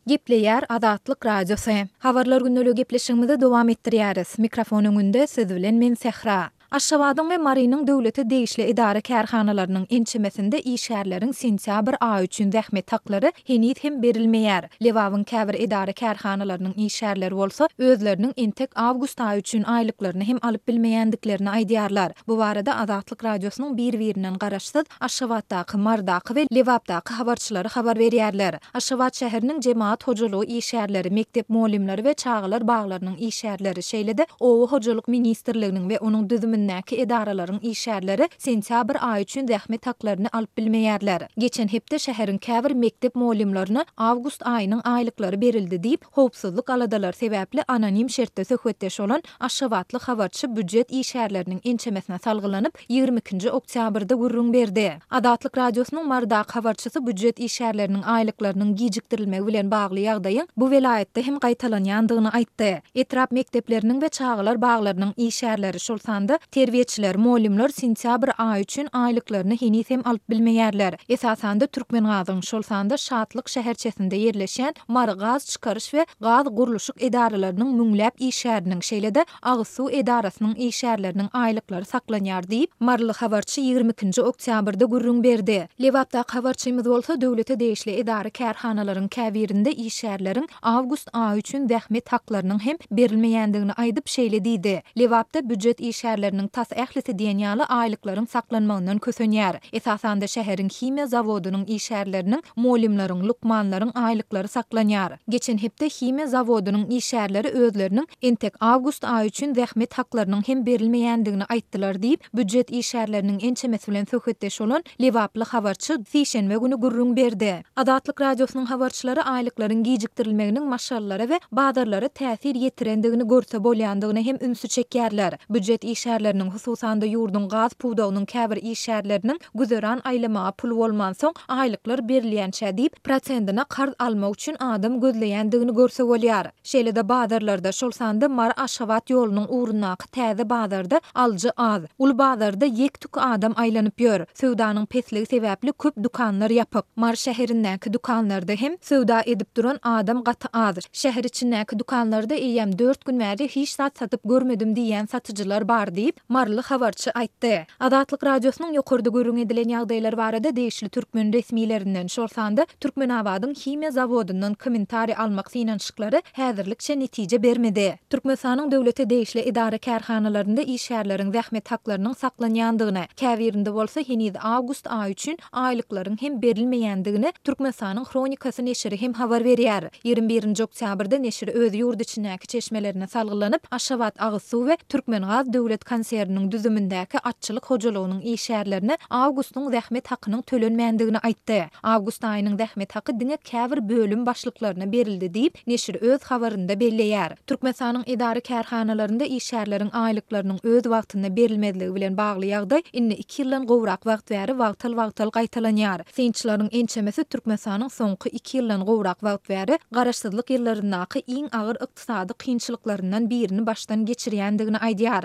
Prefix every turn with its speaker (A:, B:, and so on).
A: Gepleýär Azatlyk Radiosy. Habarlar gündeligi gepleşigimizi dowam etdirýäris. Mikrofon öňünde siz bilen men Sähra. Aşgabadyň we Marynyň döwlete degişli edara-kärhanalarynyň ençemesinde işgärleriň sentýabr aýy üçin zähmet haklary heniz hem berilmeýär. Lebabyň käbir edara-kärhanalarynyň işgärleri bolsa özleriniň entek awgust aýy üçin aýlyklaryny hem alyp bilmeýändiklerini aýdýarlar. Bu barada Azatlyk Radiosynyň bir-birinden garaşsyz Aşgabatdaky, Marydaky we Lebapdaky habarçylary habar berýärler. Aşgabat şäheriniň jemagat hojalygy işgärleri, mekdep mugallymlary we çagalar baglarynyň işgärleri, şeýle-de Oba hojalyk ministrliginiň we onuň düzümindäki edaralaryň işgärleri sentýabr aýy üçin zähmet haklaryny alyp bilmeýärler. Geçen hepde şäheriň käbir mekdep mugallymlaryna awgust aýynyň aýlyklary berildi diýip, howpsuzlyk aladalary sebäpli anonim şertde söhbetdeş bolan aşgabatly habarçy býujet işgärleriniň ençemesine salgylanyp, 22-nji oktýabrda gürrüň berdi. Azatlyk Radiosynyň Marydaky habarçysy býujet işgärleriniň aýlyklarynyň gijikdirilmegi bilen bagly ýagdaýyň bu welaýatda hem gaýtalanýandygyny aýtdy. Etrap mekdepleriniň we çagalar baglarynyň işgärleri, şol sanda terbiýeçiler, mugallymlar sentýabr aýy üçin aýlyklaryny heniz hem alyp bilmeýärler. Esasanda Türkmengazyň, şol sanda Şatlyk şäherçesinde ýerleşýän Mary gaz çykaryş we gaz gurluşyk edaralarynyň müňläp işgäriniň, şeýle-de agyz suw edarasynyň işgärleriniň aýlyklary saklanýar diýip, maryly habarçy 22-nji oktýabrda gürrüň berdi. Lebapdaky habarçymyz bolsa döwlete degişli edara-kärhanalaryň käbirinde işgärleriň awgust aýy üçin zähmet haklarynyň hem berilmeýändigini aýdyp, şeýle diýdi, Lebapda býujet işgärleriniň tas ählisi diýen ýaly aýlyklaryň saklanmagyndan kösenýär. Esasanda şäheriň himiýa zawodynyň işgärleriniň, mugallymlaryň, lukmanlaryň aýlyklary saklanýar. Geçen hepde himiýa zawodynyň işgärleri özleriniň entek awgust aýy üçin zähmet haklarynyň hem berilmeýändigini aýtdylar diýip, býujet işgärleriniň ençemesi bilen söhbetdeş bolan lebaply habarçy sişenbe güni gürrüň berdi. Azatlyk Radiosynyň habarçylary aýlyklaryň gijikdirilmeginiň maşgalalara we bazarlara täsir ýetirendigini görse bolýandygyna hem ünsi çekýärler. Býujet işgärleriniň, hususan-da ýurduň gaz pudagynyň käbir işgärleriniň güzeran aýlamaga puly bolmansoň, aýlyklar berilýänçä diýip, prosendine karz almak üçin adam gözleýändigini görse bolýar. Şeýle-de bazarlarda, şol sanda Mary-Aşgabat ýolunyň ugrundaky täze bazarda alyjy az. Uly bazarda ýek-tük adam aýlanyp ýör. Söwdanyň pesligi sebäpli köp dükanlar ýapyk. Mary şäherindäki dükanlarda hem söwda edip duran adam gaty az. Şäher içindäki dükanlarda eýýäm dört gün bäri hiç zat satyp görmedim diýýän satyjylar bar diýip, maryly habarçy aýtdy. Azatlyk Radiosynyň ýokarda gürrüň edilen ýagdaýlar barada degişli türkmen resmilerinden, şol sanda Türkmenabadyň himiýa zawodyndan kommentariý almak synanyşyklary häzirlikçe netije bermedi. Türkmenistanyň döwlete degişli edara-kärhanalarynda işgärleriň zähmet haklarynyň saklanýandygyny, käbirinde bolsa heniz awgust aýy üçin aýlyklaryň hem berilmeýändigini Türkmenistanyň Hronikasy neşiri hem habar berýär. 21-nji oktýabrda neşir öz ýurt içindäki çeşmelerine salgylanyp, Aşgabat agyz suw we Türkmengaz döwlet konserniniň düzümindäki atçylyk hojalygynyň işgärlerine awgustyň zähmet hakynyň tölenmändigini aýtdy. Awgust aýynyň zähmet haky diňe käbir bölüm başlyklaryna berildi diýip, neşir öz habarynda belleýär. Türkmenistanyň edara-kärhanalarynda işgärleriň aýlyklarynyň öz wagtynda berilmezligi bilen bagly ýagdaý indi iki ýyldan gowrak wagt bäri wagtal-wagtal gaýtalanýar. Synçylaryň ençemesi Türkmenistanyň soňky iki ýyldan gowrak wagt bäri garaşsyzlyk ýyllaryndaky iň agyr ykdysady kynçylyklaryndan birini başdan geçirýändigini aýdýar.